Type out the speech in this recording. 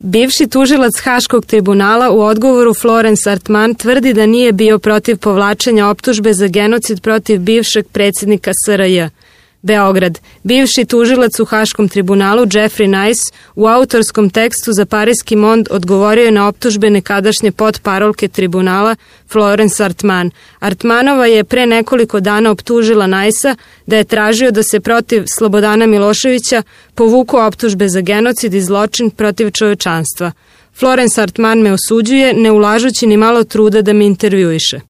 Bivši tužilac Haškog tribunala u odgovoru Florence Artman tvrdi da nije bio protiv povlačenja optužbe za genocid protiv bivšeg predsjednika SRJ. Beograd. Bivši tužilac u Haškom tribunalu Jeffrey Nice u autorskom tekstu za Parijski Monde odgovorio je na optužbe nekadašnje potparolke tribunala Florence Artman. Artmanova je pre nekoliko dana optužila Nice-a da je tražio da se protiv Slobodana Miloševića povuku optužbe za genocid i zločin protiv čovečanstva. Florence Artman me osuđuje, ne ulažući ni malo truda da me intervjuiše.